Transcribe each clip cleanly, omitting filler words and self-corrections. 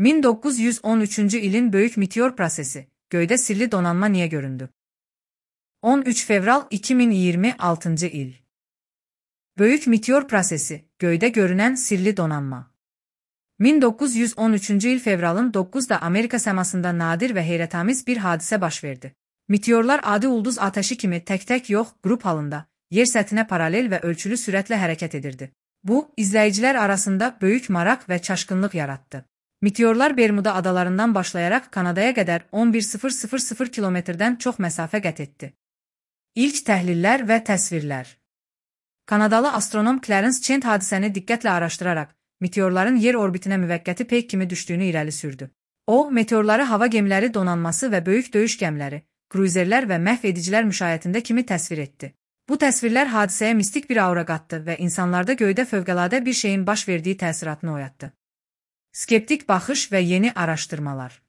1913-cü ilin böyük meteor prosesi, göydə sirli donanma niyə göründü? 13 fevral 2026-cı il. Böyük meteor prosesi, göydə görünən sirli donanma. 1913-cü il fevralın 9-da Amerika səmasında nadir və heyrətamiz bir hadisə baş verdi. Meteorlar adi ulduz ateşi kimi tək-tək yox, qrup halında, yer səthinə paralel və ölçülü sürətlə hərəkət edirdi. Bu, izləyicilər arasında böyük maraq və çaşqınlıq yaratdı. Meteorlar Bermuda adalarından başlayaraq Kanadaya qədər 11.000 kilometrdən çox məsafə qət etdi. İlk təhlillər və təsvirlər. Kanadalı astronom Clarence Chent hadisəni diqqətlə araşdıraraq, meteorların yer orbitinə müvəqqəti peyk kimi düşdüyünü irəli sürdü. O, meteorları hava gəmiləri donanması və böyük döyüş gəmiləri, kruzerlər və məhv edicilər müşayiətində kimi təsvir etdi. Bu təsvirlər hadisəyə mistik bir aura qatdı və insanlarda göydə fövqəladə bir şeyin baş verdiyi təsiratını oyatdı. Skeptik baxış və yeni araşdırmalar.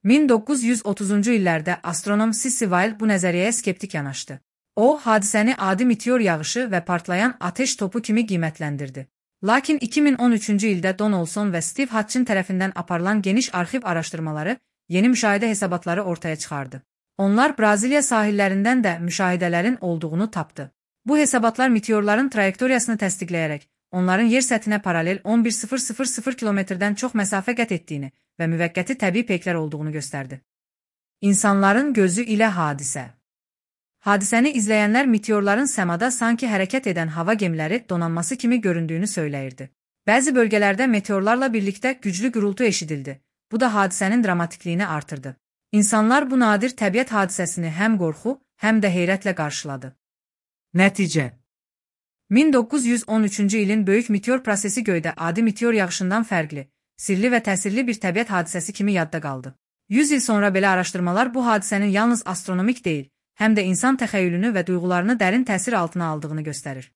1930-cu illərdə astronom C.C. Weil bu nəzəriyyəyə skeptik yanaşdı. O, hadisəni adi meteor yağışı və partlayan ateş topu kimi qiymətləndirdi. Lakin 2013-cü ildə Donaldson və Steve Hatchin tərəfindən aparılan geniş arxiv araşdırmaları yeni müşahidə hesabatları ortaya çıxardı. Onlar Braziliya sahillərindən də müşahidələrin olduğunu tapdı. Bu hesabatlar meteorların trayektoriyasını təsdiqləyərək, onların yer səthinə paralel 11.000 kilometrdən çox məsafə qət etdiyini və müvəqqəti təbii peyklər olduğunu göstərdi. İnsanların gözü ilə hadisə. Hadisəni izləyənlər meteorların səmada sanki hərəkət edən hava gəmiləri donanması kimi göründüyünü söyləyirdi. Bəzi bölgələrdə meteorlarla birlikdə güclü gürültü eşidildi. Bu da hadisənin dramatikliyini artırdı. İnsanlar bu nadir təbiət hadisəsini həm qorxu, həm də heyrətlə qarşıladı. Nəticə. 1913-cü ilin böyük meteor prosesi göydə adi meteor yağışından fərqli, sirli və təsirli bir təbiət hadisəsi kimi yadda qaldı. 100 il sonra belə araşdırmalar bu hadisənin yalnız astronomik deyil, həm də insan təxəyyülünü və duyğularını dərin təsir altına aldığını göstərir.